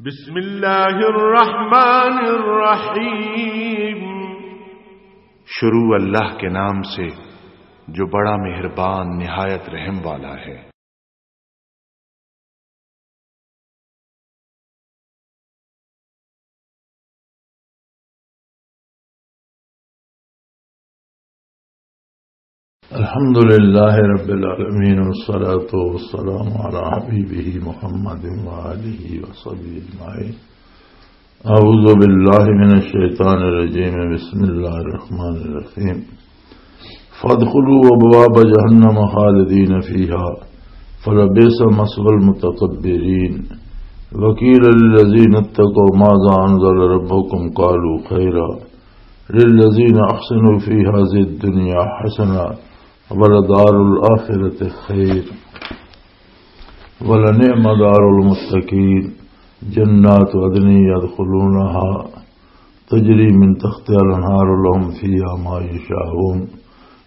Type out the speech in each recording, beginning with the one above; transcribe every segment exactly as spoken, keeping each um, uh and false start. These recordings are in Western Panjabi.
بسم اللہ الرحمن الرحیم۔ شروع اللہ کے نام سے جو بڑا مہربان نہایت رحم والا ہے۔ الحمد لله رب العالمين، والصلاة والسلام على حبيبه محمد وآله وصحبه أجمعين. أعوذ بالله من الشيطان الرجيم. بسم الله الرحمن الرحيم. فادخلوا أبواب جهنم خالدين فيها فلبئس مثوى المتكبرين. وقيل للذين اتقوا ماذا أنزل ربكم قالوا خيرا. للذين أحسنوا في هذه الدنيا حسنة ولدار الآخرة خير ولنعم دار المتقين. جنات عدن يدخلونها تجري من تحتها الأنهار لهم فيها ما يشاءون.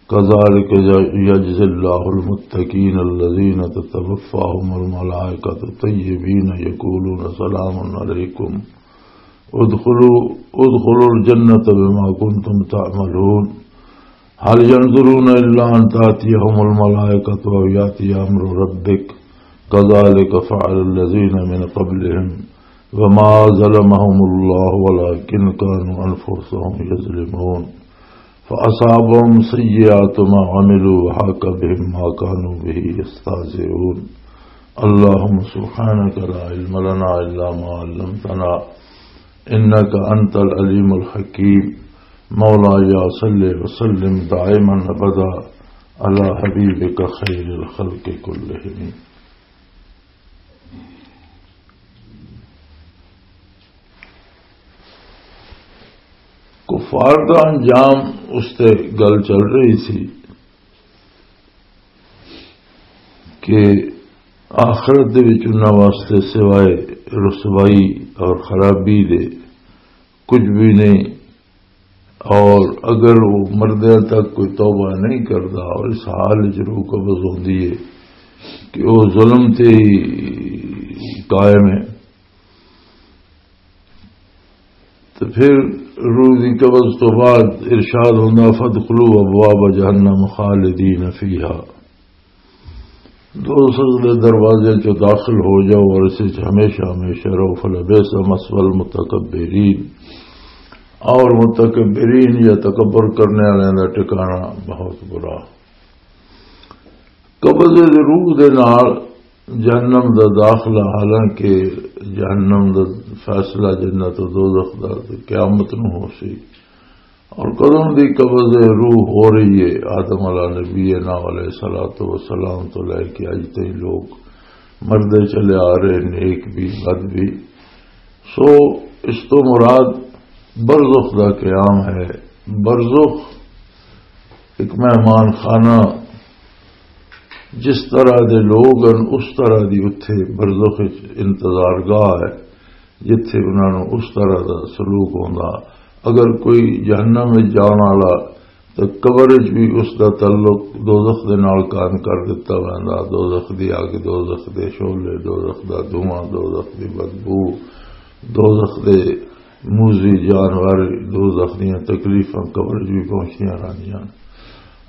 كذلك يجزي الله المتقين الذين تتوفاهم الملائكة طيبين يقولون سلام عليكم ادخلوا، ادخلوا الجنة بما كنتم تعملون. هل ينظرون إلا أن تأتيهم الملائكة أو يأتي أمر ربك كذلك فعل الذين من قبلهم وما ظلمهم الله ولكن كانوا أنفسهم يظلمون. فأصابهم سيئات ما عملوا وحاق بهم ما كانوا به يستهزئون. اللهم سبحانك لا علم لنا إلا ما علمتنا إنك أنت العليم الحكيم. مولاي صل وسلم دائما أبدا على حبيبك خير الخلق كلهم. کفار دا انجام، اس تے گل چل رہی سی کہ آخرت دے وچ انہاں واسطے سوائے رسوائی اور خرابی دے کچھ بھی نہیں، اور اگر وہ مردیاں تک کوئی توبہ نہیں کرتا اور اس حال وچ روح قبض ہوندی ہے کہ وہ ظلم تے ہی قائم ہے، تو پھر روح دی قبض تو بعد ارشاد ہوندا، "فادخلوا ابواب جہنم خالدین فیہا۔" دوزخ دے دروازے چوں داخل ہو جاؤ اور اس وچ ہمیشہ ہمیشہ رہو۔ فلبئس مثوی المتکبرین، اور متکبرین یا تکبر کرنے والوں دا ٹھکانہ بہت برا۔ قبض روح دے نال جہنم دا داخلہ، حالانکہ جہنم دا فیصلہ جنت و دوزخ دا تے قیامت نو ہو سی۔ اور قدم دی قبض روح ہو رہی ہے، آدم علیہ نبی نا علیہ الصلوۃ والسلام تو لے کے اج تئی لوگ مردے چلے آ رہے، نیک بھی، بد بھی۔ سو اس تو مراد برزخ دا قیام ہے۔ برزخ ایک مہمان خانہ، جس طرح دے لوگ ہیں، اس طرح دی اتھے برزخ وچ انتظار گاہ ہے، جتھے انہاں نوں اس طرح دا سلوک ہوندا۔ اگر کوئی جہنم وچ جان والا، تے قبر وچ بھی اس دا تعلق دوزخ دے نال قائم کر دتا ویندا۔ دوزخ دی اگ، دوزخ دے شعلے، دوزخ دا دھواں، دوزخ دی بدبو، دوزخ دے موذی جانور، دوزخ دیاں تکلیفاں قبر وچ بھی پہنچدیاں رہندیاں۔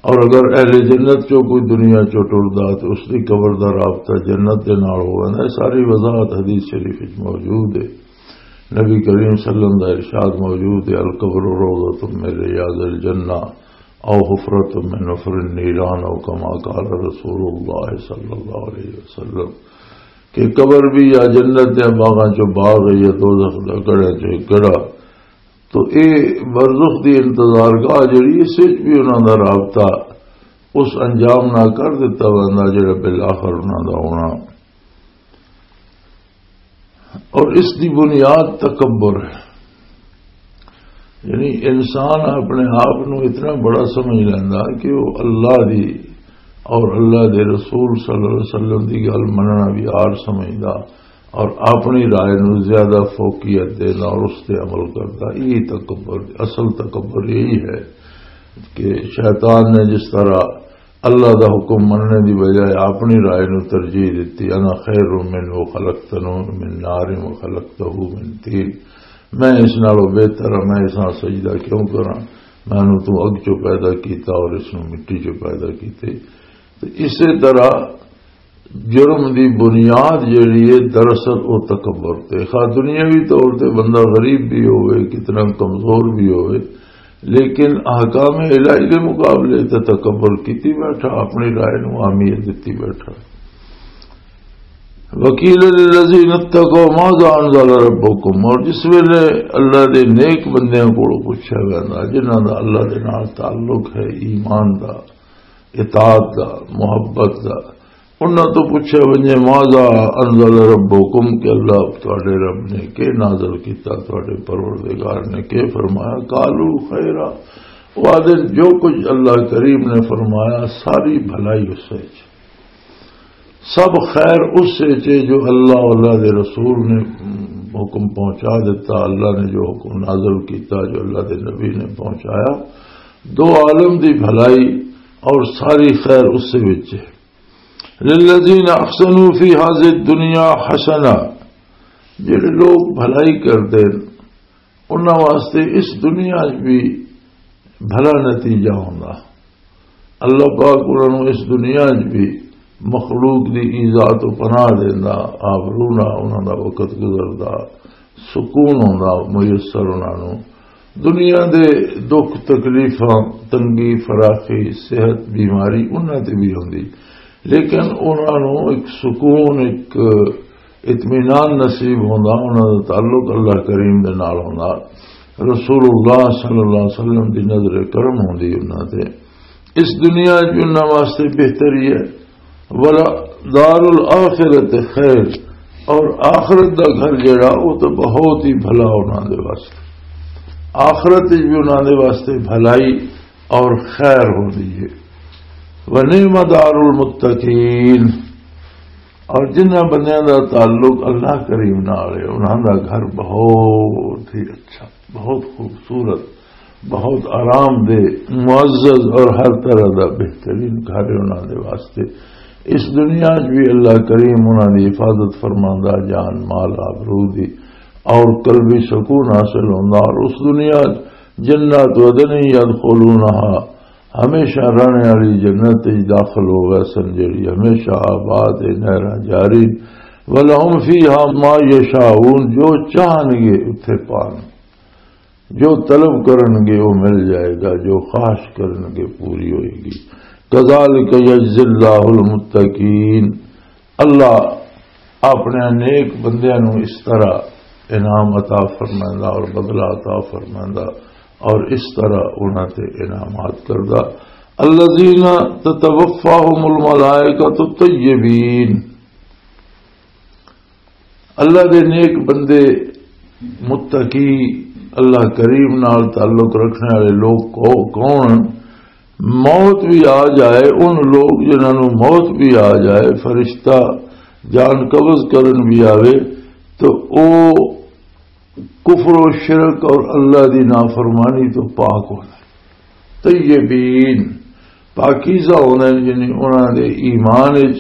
اور اگر اہل جنت چوں کوئی دنیا چوں ٹردا تے اس دی قبر دا رابطہ جنت دے نال ہو ویندا ہے۔ ساری وضاحت حدیث شریف وچ موجود ہے۔ نبی کریم صلی اللہ علیہ وسلم دا ارشاد موجود ہے، "القبر روضۃ من ریاض الجنہ او حفرۃ من حفر النیران او کما قال رسول اللہ صلی اللہ علیہ وسلم"، کہ قبر بھی یا جنت دے باغاں چوں باغ ہے یا دوزخ دا گڑھے چوں گڑھا۔ تو اے برزخ دی انتظار گاہ جڑی، اس وچ بھی انہاں دا رابطہ اس انجام نال کر دتا ویندا جڑا بالآخر انہاں دا ہونا۔ اور اس دی بنیاد تکبر ہے، یعنی انسان اپنے آپ نو اتنا بڑا سمجھ لیندا کہ وہ اللہ دی اور اللہ دے رسول صلی اللہ علیہ وسلم دی گل مننا بھی آر سمجھدا اور اپنی رائے نو زیادہ فوقیت دینا اور اس تے عمل کردا۔ یہ تکبر، اصل تکبر یہی ہے کہ شیطان نے جس طرح اللہ دا حکم مننے دی بجائے اپنی رائے نو ترجیح دتی۔ "انا خیر منہ خلقتنی من نار و خلقتہ من طین۔" میں اس نالوں بہتر ہاں، میں اس نال سجدہ کیوں کراں؟ میں نو تو اگ چوں پیدا کیتا اور اس نو مٹی چوں پیدا کیتے۔ تے اسے طرح جرم دی بنیاد جیڑی ہے، دراصل او تکبر تے۔ خواہ دنیاوی طور تے بندہ غریب بھی ہوئے، کتنا کمزور بھی ہوئے، لیکن احکام الہی دے مقابلے تے تکبر کیتی بیٹھا، اپنی رائے نو اہمیت دتی بیٹھا۔ "وقیل للذین اتقوا ماذا انزل ربکم"، اور جس ویلے اللہ دے نیک بندیاں کولوں پوچھا ویندا، جنہاں دا اللہ دے نال تعلق ہے، ایمان دا، اطاعت دا، محبت دا، انہاں تو پوچھا ونجے، "ماذا انزل ربکم"، کہ اللہ تواڈے رب نے کے نازل کیتا، تواڈے پروردگار نے کے فرمایا؟ "قالوا خیرا"، وہ آدھے، "جو کچھ اللہ کریم نے فرمایا، ساری بھلائی اس وچ، سب خیر اس وچ ہے جو اللہ، اللہ دے رسول نے حکم پہنچا دیتا، اللہ نے جو حکم نازل کیتا، جو اللہ دے نبی نے پہنچایا، دو عالم دی بھلائی اور ساری خیر اس وچ ہے۔" "للذین احسنوا فی هذه الدنیا حسنہ"، جڑے لوگ بھلائی کردے نے، انہاں واسطے اس دنیا 'چ بھی بھلا نتیجہ ہوندا۔ اللہ پاک انہاں نوں اس دنیا 'چ بھی مخلوق دی ایذا تو پناہ دیندا، آبرو نال انہاں دا وقت گزردا، سکون ہوندا میسر انہاں نوں۔ دنیا دے دکھ تکلیفاں، تنگی فراخی، صحت بیماری انہاں تے بھی ہوندی، لیکن انہاں نوں ایک سکون، ایک اطمینان نصیب ہوندا، انہاں دا تعلق اللہ کریم دے نال ہوندا۔ رسول اللہ صلی اللہ علیہ وسلم دی نظر کرم ہوندی انہاں تے۔ اس دنیا 'چ انہاں واسطے بہتری ہے، "ولدار الآخرۃ خیر"، اور آخرت دا گھر جڑا، وہ تو بہت ہی بھلا انہاں دے واسطے۔ آخرت وچ بھی انہاں دے واسطے بھلائی اور خیر ہوندی ہے۔ "ونعم دار المتقین"، اور جنہاں بندیاں دا تعلق اللہ کریم نال ہے، انہاں دا گھر بہت ہی اچھا، بہت خوبصورت، بہت آرام دہ، معزز اور ہر طرح دا بہترین گھر ہے انہاں دے واسطے۔ اس دنیا 'چ بھی اللہ کریم انہاں دی حفاظت فرماندا، جان مال آبرو دی، اور قلبی سکون حاصل ہوندا، اور اس دنیا 'چ جنات عدن یدخلونہا، ہمیشہ رہنے والی جنت 'چ داخل ہو گئے سن، جڑی ہمیشہ آباد ہے، نہراں جاری۔ "ولہم فیہا ما یشاؤون"، جو چاہن گے اتھے پان، جو طلب کرن گے وہ مل جائے گا، جو خواہش کرن گے پوری ہوئے گی۔ "کذالک یجزی اللہ المتقین"، اللہ اپنے نیک بندیاں نوں اس طرح انعام عطا فرمائندا اور بدلہ عطا فرمائندا اور اس طرح انہاں تے انعامات کردا۔ "الذین تتوفاہم الملائکۃ طیبین"، اللہ دے نیک بندے، متقی، اللہ کریم نال تعلق رکھنے والے لوگ کو-، کون؟ موت بھی آ جائے، ان لوگ جنہاں نوں موت بھی آ جائے، فرشتہ جان قبض کرن بھی آوے، تو او کفر و شرک اور اللہ دی نافرمانی تو پاک ہونا۔ طیبین، پاکیزہ ہوندے نے، یعنی انہاں دے ایمان وچ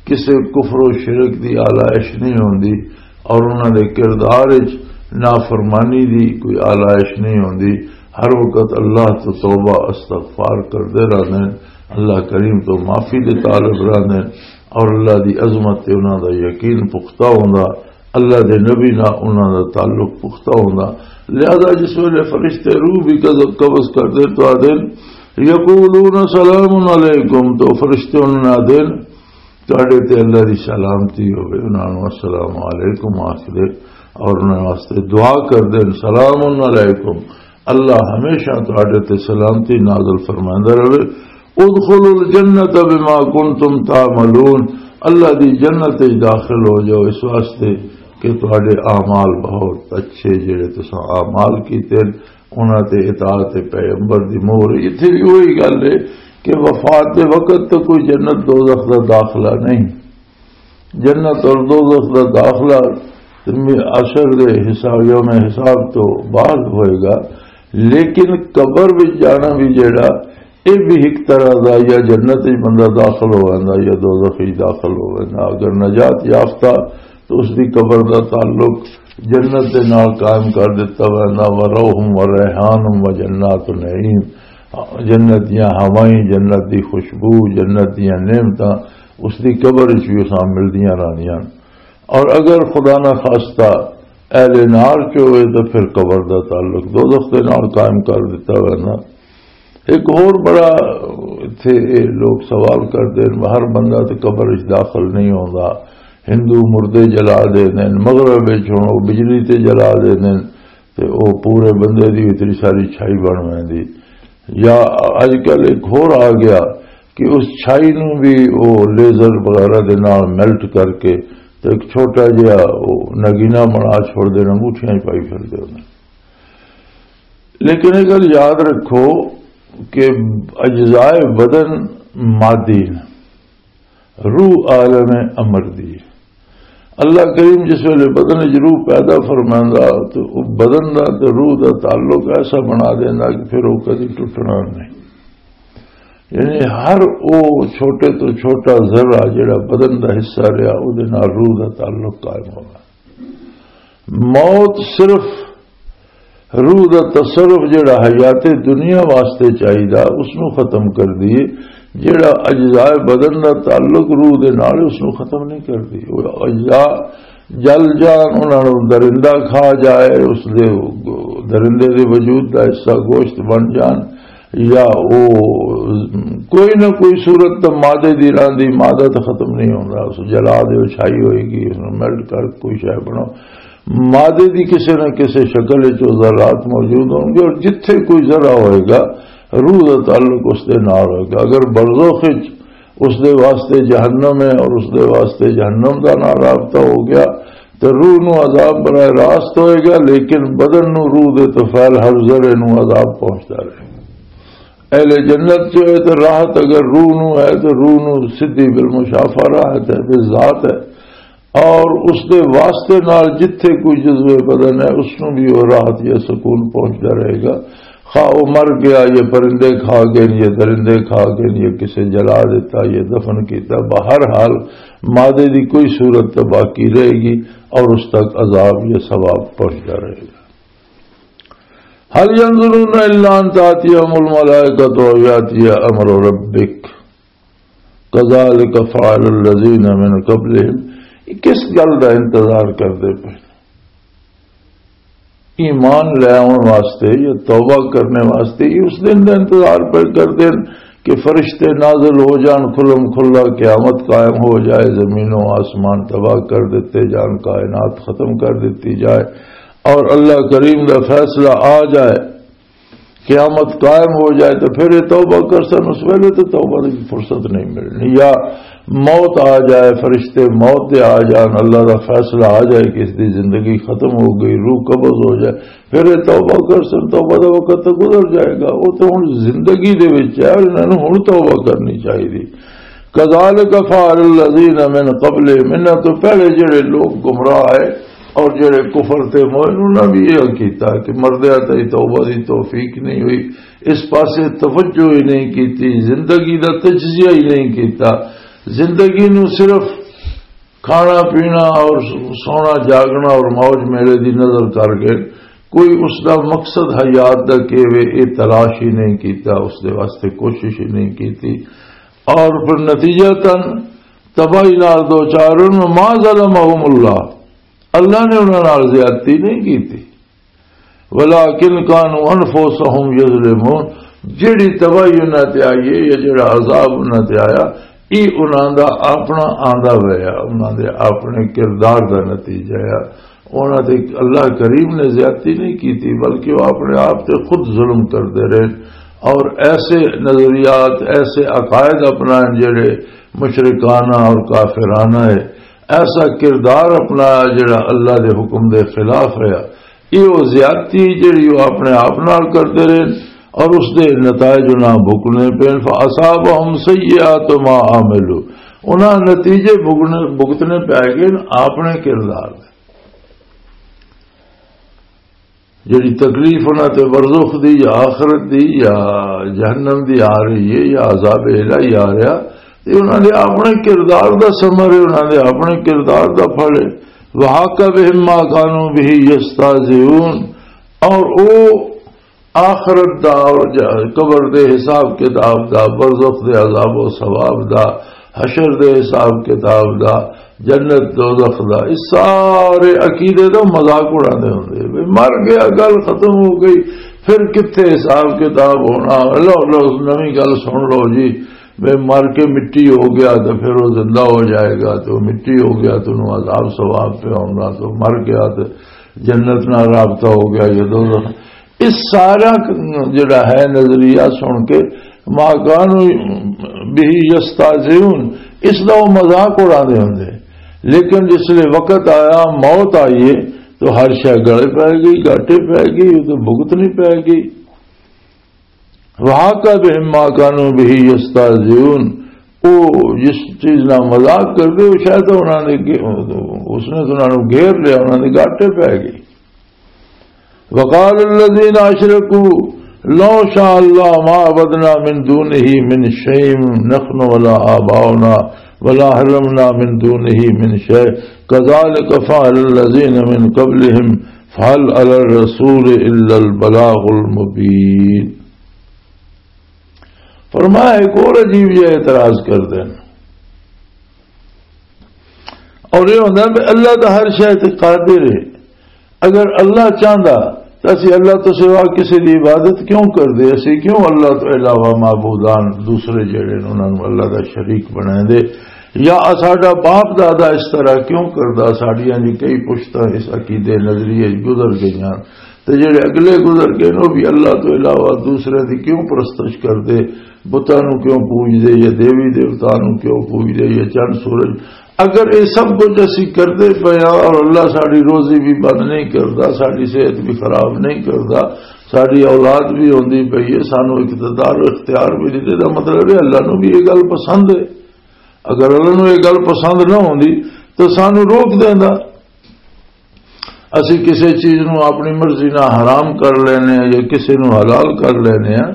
کسے کفر و شرک دی آلائش نہیں ہوندی، اور انہاں دے کردار وچ نافرمانی دی کوئی آلائش نہیں ہوندی۔ ہر وقت اللہ تو توبہ استغفار کردے رہندے نے، اللہ کریم تو معافی دے طالب رہندے نے، اور اللہ دی عظمت تے انہاں دا یقین پختہ ہوندا۔ اللہ دے نبی نال انہاں دا تعلق پختہ ہوندا۔ لہذا جس ویلے فرشتے روح بھی قبض، قبض کردے تو آدھے، "یقولون سلام علیکم"، تو فرشتے انہاں نوں آدھے، "تہاڈے تے اللہ دی سلامتی ہوے"، انہاں نوں السلام علیکم آکھدے اور انہاں واسطے دعا کردے، "سلام علیکم"، اللہ ہمیشہ تہاڈے تے سلامتی نازل فرماندا رہے۔ "ادخلوا الجنۃ بما کنتم تعملون"، اللہ دی جنت وچ داخل ہو جاؤ اس واسطے کہ تہاڈے اعمال بہت اچھے، جڑے تساں اعمال کیتے، انہاں تے اطاعت پیغمبر دی مہر۔ اتھے بھی وہی گل ہے کہ وفات دے وقت تو کوئی جنت دوزخ دا داخلہ نہیں۔ جنت اور دوزخ دا داخلہ حشر دے حساب، یوم حساب تو بعد ہوئے گا، لیکن قبر وچ جانا بھی جڑا، یہ بھی ایک طرح دا، یا جنت وچ بندہ داخل ہو ویندا یا دوزخ وچ داخل ہو ویندا۔ اگر نجات یافتہ تو اس دی قبر دا تعلق جنت دے نال قائم کر دتا ویندا، وروح وریحان وجنات نعیم، جنت دیاں ہوائیں، جنت دی خوشبو، جنت دیاں نعمتاں اس دی قبر وچ بھی اساں ملدیاں رہندیاں۔ اور اگر خدا نہ خواستہ اہل نار چ ہوئے تو پھر قبر دا تعلق دوزخ دے نال قائم کر دتا ویندا۔ ایک ہور بڑا اتھے اے لوگ سوال کردے نے، ہر بندہ تے قبر وچ داخل نہیں ہوندا۔ ہندو مردے جلا دے نے، مغرب وچ ہن او بجلی تے جلا دے نے، تے او پورے بندے دی اتنی ساری چھائی بن ویندی۔ یا اج کل ایک ہور آ گیا کہ اس چھائی نو بھی او لیزر وغیرہ دے نال میلٹ کر کے تے ایک چھوٹا جہا او نگینہ بنا چھوڑ دے نے، انگوٹھیاں ہی پائی پھر دے نے۔ لیکن یہ گل یاد رکھو کہ اجزائے بدن مادی نے، روح عالم امر دی ہے۔ اللہ کریم جس ویلے بدن وچ روح پیدا فرماندا تو او بدن دا تے روح دا تعلق ایسا بنا دیندا کہ پھر او کدی ٹوٹنا نہیں۔ یعنی ہر او چھوٹے تو چھوٹا ذرہ جڑا بدن دا حصہ رہیا، او دے نال روح دا تعلق قائم ہونا۔ موت صرف روح دا تصرف جڑا حیات دنیا واسطے چاہیدا، اس نو ختم کر دیے۔ جڑا اجزاء بدن دا تعلق روح دے نال، اس نو ختم نہیں کر دی۔ وہ اجزاء جل جان، انہاں نوں درندہ کھا جائے، اس دے، درندے دے وجود دا حصہ گوشت بن جان، یا او کوئی نہ کوئی صورت تے مادے دی راندی، مادہ تے ختم نہیں ہوندا، اس جلا دے، او چھائی ہوئے گی، اس نوں میلٹ کر کوئی شے بناؤ۔ مادے دی کسے نہ کسے شکل وچ او ذرات موجود ہون گے، اور جتھے کوئی ذرہ ہوئے گا، روح دا تعلق اس دے نال ہوئے گا۔ اگر برزخ وچ اس دے واسطے جہنم ہے اور اس دے واسطے جہنم دا نال رابطہ ہو گیا، تے روح نو عذاب براہ راست ہوئے گا، لیکن بدن نو، روح دے طفیل ہر ذرے نو عذاب پہنچدا رہے۔ اہل جنت جو ہے تے راحت اگر روح نو ہے تے روح نو سدھی بالمشافہ راحت ہے، بالذات ہے۔ اور اس دے واسطے نال جتھے کوئی جزو بدن ہے، اس نو بھی وہ راحت یا سکون پہنچدا رہے گا۔ خواہ وہ مر گیا، یہ پرندے کھا گئے، یہ درندے کھا گئے، یہ کسے جلا دیتا، یہ دفن کیتا، بہرحال مادے دی کوئی صورت تو باقی رہے گی اور اس تک عذاب یا ثواب پہنچدا رہے گا۔ هل ينظرون إلا أن تأتيهم الملائكة أو يأتي أمر ربك كذلك فعل الذين من قبلهم۔ یہ کس گل دا انتظار کردے پے؟ ایمان لے آن واسطے یا توبہ کرنے واسطے یہ اس دن دا انتظار پہ کردے ہیں کہ فرشتے نازل ہو جان، کھلم کھلا قیامت قائم ہو جائے، زمین و آسمان تباہ کر دیتے جان، کائنات ختم کر دیتی جائے، اور اللہ کریم دا فیصلہ آ جائے، قیامت قائم ہو جائے تو پھر یہ توبہ کر سن۔ اس ویلے تو توبہ کی فرصت نہیں ملنی۔ یا موت آ جائے، فرشتے موت دے آ جان، اللہ دا فیصلہ آ جائے کہ اس دی زندگی ختم ہو گئی، روح قبض ہو جائے، پھر یہ توبہ کر سن۔ توبہ دا وقت تو گزر جائے گا، وہ تو ہن زندگی دے وچ ہے، انہاں نوں ہن توبہ کرنی چاہیے۔ کذالک فعل الذین من قبل، انہاں تو پہلے جڑے لوگ گمراہ آئے اور جڑے کفر تے مومن، انہاں بھی یہ کیتا کہ مردیاں تائیں توبہ دی توفیق نہیں ہوئی، اس پاسے توجہ ہی نہیں کیتی، زندگی دا تجزیہ ہی نہیں کیتا۔ زندگی نو صرف کھانا پینا اور سونا جاگنا اور موج میلے دی نظر کر کے کوئی اس دا مقصد حیات دا کی وے، یہ تلاش ہی نہیں کیتا، اس دے واسطے کوشش ہی نہیں کیتی۔ اور پھر نتیجہ تن تباہی نال دو چار۔ ما ظلمهم اللہ، اللہ نے انہاں نال زیادتی نہیں کیتی، ولکن کانوا انفسهم یظلمون، جڑی تباہی انہاں تے آئی ہے یا جڑا عذاب انہاں تے آیا، یہ انہاں دا اپنا آندا ہویا، انہاں دے اپنے کردار دا نتیجہ ہے۔ انہاں تے اللہ کریم نے زیادتی نہیں کیتی، بلکہ وہ اپنے آپ تے خود ظلم کردے رہے۔ اور ایسے نظریات، ایسے عقائد اپنائے جڑے مشرکانہ اور کافرانہ ہے، ایسا کردار اپنایا جڑا اللہ دے حکم دے خلاف ہے، یہ وہ زیادتی جڑی وہ اپنے آپ نال کردے رہے اور اس دے نتائج انہاں بھگتنے پے۔ فاصابهم سیئات ما عملوا، انہاں نتیجے بھگتنے، بھگتنے پے گئے اپنے کردار دے۔ جڑی تکلیف انہاں تے برزخ دی یا آخرت دی یا جہنم دی آ رہی ہے یا عذاب الہی آ رہا، یہ انہاں دے اپنے کردار دا ثمر ہے، انہاں دے اپنے کردار دا پھل ہے۔ وحاق بهم ما كانوا به يستهزئون، اور او آخرت دا اور ج-، قبر دے حساب کتاب دا، برزخ دے عذاب و ثواب دا، حشر دے حساب کتاب دا، جنت دوزخ دا، اس سارے عقیدے دا مذاق اڑاندے ہوندے۔ بھئی مر گیا، گل ختم ہو گئی، پھر کتھے حساب کتاب ہونا؟ لو، لو، نویں گل سن لو جی، بھئی مر کے مٹی ہو گیا تو پھر وہ زندہ ہو جائے گا، تو مٹی ہو گیا تو انہوں عذاب ثواب پہ ہونا، تو مر گیا تو جنت نال رابطہ ہو گیا یا دوزخ۔ اس سارا ک-، جڑا ہے نظریہ سن کے ما کانوا به یستهزئون، اس دا وہ مذاق اڑاندے ہوندے۔ لیکن جس لے وقت آیا، موت آئی ہے، تو ہر شے گلے پے گئی، گاٹے پے گئی، وہ تو بھگتنی پے گئی۔ وحاق بهم ما كانوا به يستهزئون، وہ جس چیز نال مذاق کردے، وہ شاید انہاں نے گے-، اس نے تو انہاں نوں گھیر لیا، انہاں دے گاٹے پے گئے۔ وقال الذين أشركوا لو شاء الله ما عبدنا من دونه من شيء نحن ولا آباؤنا ولا حرمنا من دونه من شيء كذلك فعل الذين من قبلهم فهل على الرسول إلا البلاغ المبين۔ فرمایا، ایک اور عجیب یہ اعتراض کر دین۔ اور یہ ہوتا ہے کہ اللہ تو ہر شے تے قادر ہے۔ اگر اللہ چاہندا تو اسی اللہ تو سوا کسی دی عبادت کیوں کردے؟ اسی کیوں اللہ تو علاوہ معبودان دوسرے جڑے نے انہاں نوں اللہ دا شریک بنائیں دے؟ یا ساڈا باپ دادا اس طرح کیوں کردا؟ ساڈیاں دی کئی پشتاں اس عقیدے نظریے وچ گزر گئیاں۔ تے جڑے اگلے گزر گئے نے، وہ بھی اللہ تو علاوہ دوسرے دی کیوں پرستش کردے؟ بتاں نوں کیوں پوجدے یا دیوی دیوتاں نوں کیوں پوجدے یا چند سورج؟ اگر یہ سب کچھ اسی کردے پئے ہاں اور اللہ ساڈی روزی بھی بند نہیں کردا، ساڈی صحت بھی خراب نہیں کردا، ساڈی اولاد بھی ہوندی پئی ہے، سانوں اقتدار و اختیار بھی نہیں، تے دا مطلب ہے اللہ نوں بھی یہ گل پسند ہے۔ اگر اللہ نوں یہ گل پسند نہ ہوندی تو سانوں روک دیندا۔ اسی کسے چیز نوں اپنی مرضی نال حرام کر لینے ہیں یا کسے نوں حلال کر لینے ہیں،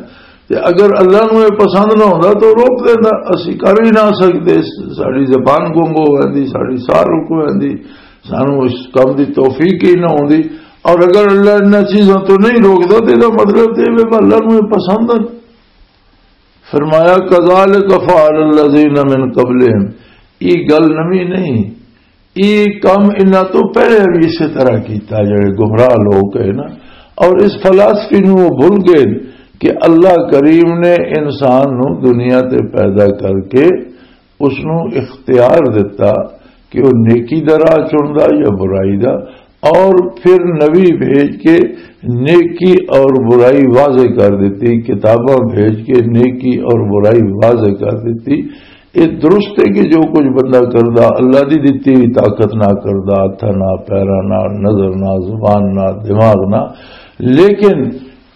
تے اگر اللہ نوں یہ پسند نہ ہوندا تو روک دیندا، اسی کر ہی نہ سکدے۔ ساڈی زبان گنگ ہو ویندی، ساڈی ساہ رک ویندی، سانوں اس کم دی توفیق ہی نہ ہوندی۔ اور اگر اللہ انہاں چیزاں تو نہیں روکدا تے ایہدا مطلب تے ایہہ اللہ نوں یہ پسند ہے۔ فرمایا، "کذالک فعل الذین من قبلہم"، یہ گل نوی نہیں، یہ کم انہاں تو پہلے بھی اسی طرح کیتا، جڑے گمراہ لوگ ہے نا۔ اور اس فلاسفی نو وہ بھول گئے کہ اللہ کریم نے انسان نو دنیا تے پیدا کر کے اس نو اختیار دتا کہ وہ نیکی دا راہ چندا یا برائی دا، اور پھر نبی بھیج کے نیکی اور برائی واضح کر دیتی، کتاباں بھیج کے نیکی اور برائی واضح کر دیتی۔ یہ درست ہے کہ جو کچھ بندہ کردا، اللہ دی دتی ہوئی طاقت نہ کردا، ہتھاں نہ، پیراں نہ، نظر نہ، زبان نہ، دماغ نہ، لیکن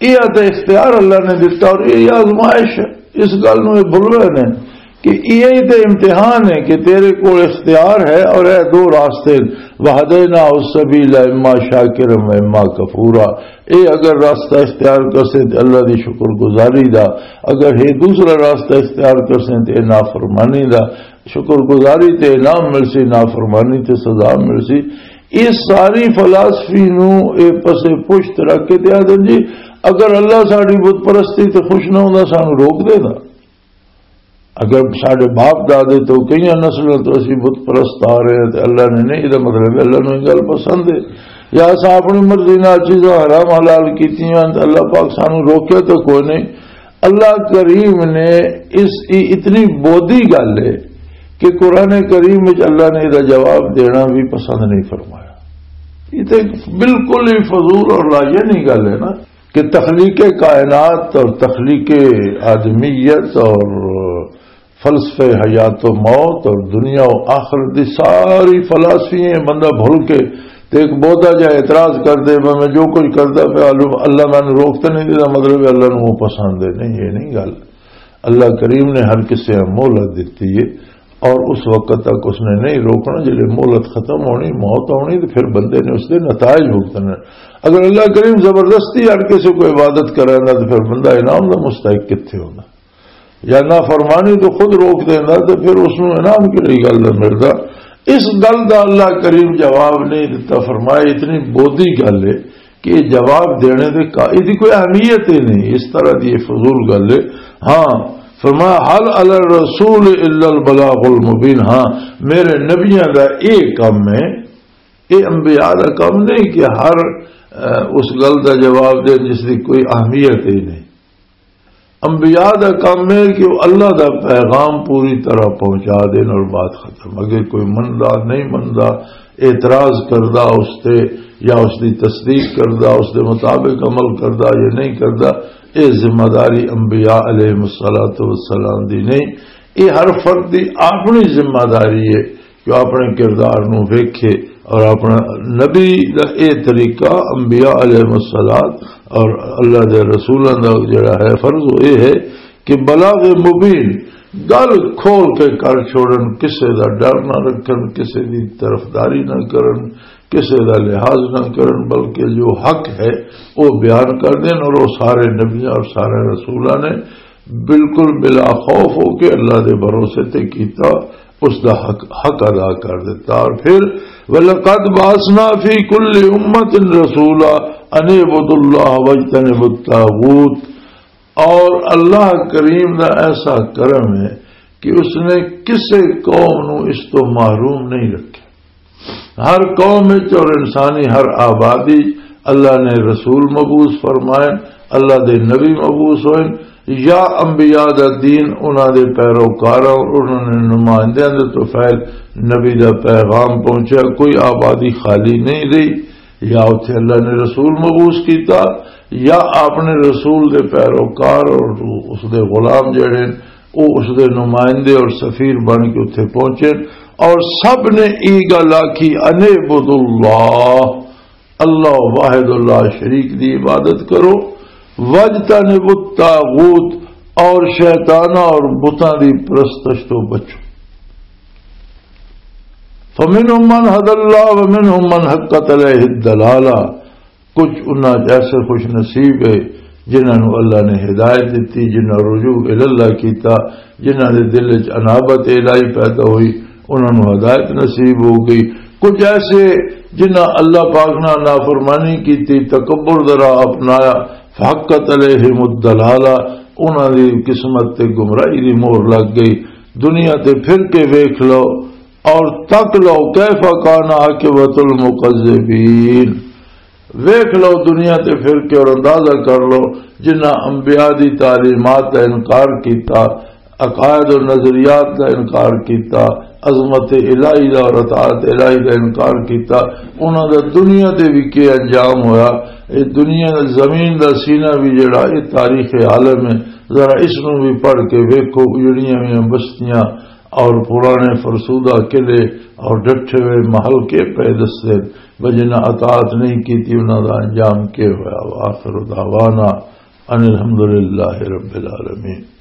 یہ تے اختیار اللہ نے دتا اور یہ آزمائش ہے۔ اس گل نوں یہ بھل رہے نے کہ یہ تے امتحان ہے کہ تیرے کول اختیار ہے اور اے دو راستے، وہدینا السبیل اما شاکر و اما کفورا۔ اے اگر راستہ اختیار کرسے تے اللہ دی شکر گزاری دا، اگر یہ دوسرا راستہ اختیار کرسے تے نافرمانی دا، شکر گزاری تے انعام ملسی، نافرمانی تے سزا ملسی۔ یہ ساری فلاسفی نو اے پسے پشت رکھ کے تے آدھے جی، اگر اللہ ساڈی بت پرستی تے خوش نہ ہوندا، سانو روک دے دا۔ اگر ساڈے باپ دادے تو کئی نسلوں تو اسی بت پرست آ رہے ہیں تے اللہ نے نہیں، یہ مطلب ہے اللہ نو یہ گل پسند ہے۔ یا اساں اپنی مرضی نال چیزاں حرام حلال کیتیاں تے اللہ پاک سانو روکے تو کوئی نہیں۔ اللہ کریم نے اس، یہ اتنی بودی گل ہے کہ قرآن کریم وچ اللہ نے یہ جواب دینا بھی پسند نہیں فرمایا۔ یہ تو بالکل ہی فضول اور لاجانی گل ہے نا کہ تخلیق کائنات اور تخلیق آدمیت اور فلسفہ حیات و موت اور دنیا و آخرت دی ساری فلاسفی ہیں، بندہ بھول کے تے ایک بہتا جا اعتراض کر دے، "میں، میں جو کچھ کردا پیا، اللہ، اللہ مینوں روک تے نہیں دیتا"، مطلب ہے اللہ نوں وہ پسند ہے نہیں، یہ نہیں گل۔ اللہ کریم نے ہر کسے مہلت دتی ہے، اور اس وقت تک اس نے نہیں روکنا، جب مہلت ختم ہونی، موت آنی، تو پھر بندے نے اس دے نتائج بھگتنے۔ اگر اللہ کریم زبردستی ہر کسی کو عبادت کرائے گا، تو پھر بندہ انعام دا مستحق کتھے ہونا؟ یا نافرمانی تو خود روک دینا، تو پھر اس نوں انعام کیڑی گل دا ملدا؟ اس گل دا اللہ کریم جواب نہیں دتا۔ فرمایا، اتنی بودی گل ہے کہ یہ جواب دینے دے کا-، اس دی کوئی اہمیت ہی نہیں، اس طرح دی یہ فضول گل ہے۔ ہاں، فرمایا، "هل على الرسول إلا البلاغ المبين۔" ہاں، میرے نبیاں دا یہ کم ہے، یہ انبیاء دا کم نہیں کہ ہر، اہ، اس گل دا جواب دے جس دی کوئی اہمیت ہی نہیں۔ انبیاء دا کام ہے کہ وہ اللہ دا پیغام پوری طرح پہنچا دین اور بات ختم۔ اگر کوئی مندا نہیں مندا، اعتراض کردا اس تے، یا اس دی تصدیق کردا، اس دے مطابق عمل کردا یا نہیں کردا، اے ذمہ داری انبیاء علیہ الصلوۃ والسلام دی نہیں۔ اے ہر فرد دی اپنی ذمہ داری ہے کہ وہ اپنے کردار نو ویکھے، اور اپنا نبی دا اے طریقہ، انبیاء علیہ الصلوۃ اور اللہ دے رسولاں دا جڑا ہے فرض، وہ اے ہے کہ بلاغ مبین، گل کھول کے کر چھوڑن، کسے دا ڈر نہ رکھن، کسے دی طرفداری نہ کرن، کسے دا لحاظ نہ کرن، بلکہ جو حق ہے وہ بیان کر دین۔ اور وہ سارے نبیاں اور سارے رسولاں نے بالکل بلا خوف ہو کے اللہ دے بھروسے تے کیتا، اس دا حق، حق ادا کر دیتا۔ اور پھر، "وَلَقَدْ بَعَثْنَا فِي كُلِّ أُمَّةٍ رَسُولًا أَنِ اعْبُدُوا اللَّهَ وَاجْتَنِبُوا الطَّاغُوتَ۔" اور اللہ کریم دا ایسا کرم ہے کہ اس نے کسے قوم نو اس تو محروم نہیں رکھا۔ ہر قوم وچ اور انسانی ہر آبادی اللہ نے رسول مبعوث فرمائے، اللہ دے نبی مبعوث ہوئے، یا انبیاء دا دین انہاں دے پیروکاراں اور انہاں نے نمائندیاں دے تو فیل نبی دا پیغام پہنچا۔ کوئی آبادی خالی نہیں رہی، یا اتھے اللہ نے رسول مبعوث کیتا، یا آپ نے رسول دے پیروکار اور اس دے غلام جڑے، وہ اس دے نمائندے اور سفیر بن کے اتھے پہنچے، اور سب نے ای گل آکھی، "ان اعبدوا اللہ، اللہ واحد اللہ شریک دی عبادت کرو، واجتنبوا الطاغوت، اور شیطانہ اور بتاں دی پرستش تو بچو۔" فمنهم من هدى الله ومنهم من حقت عليه الضلالة۔ کچھ انہاں چ ایسے خوش نصیب ہے جنہاں نوں اللہ نے ہدایت دتی، جنہاں رجوع الی اللہ کیتا، جنہاں دے دل وچ انابت الہی پیدا ہوئی، انہاں نوں ہدایت نصیب ہو گئی۔ کچھ ایسے جنہاں اللہ پاک نال نافرمانی کیتی، تکبر دا راہ اپنایا، فحقت علیہم الضلالہ، انہاں دی قسمت تے گمراہی دی مہر لگ گئی۔ دنیا تے پھر کے ویکھ لو اور تک لو، کیف کان عاقبۃ المکذبین۔ ویکھ لو دنیا تے پھر کے اور اندازہ کر لو، جنہاں انبیاء دی تعلیمات دا انکار کیتا، عقائد و نظریات دا انکار کیتا، عظمت الہی دا اور اطاعت الہی دا انکار کیتا، انہاں دا دنیا تے بھی کی انجام ہویا۔ اے دنیا، زمین دا سینہ بھی جڑا، اے تاریخ عالم ہے۔ ذرا اس نوں بھی پڑھ کے ویکھو، اجڑیاں ہوئیاں بستیاں اور پرانے فرسودہ قلعے اور ڈٹھے ہوئے محل کے پے دستے، بس جنہاں اطاعت نہیں کیتی، انہاں دا انجام کے ہویا۔ وآخر دعوانا ان الحمد للہ رب العالمین۔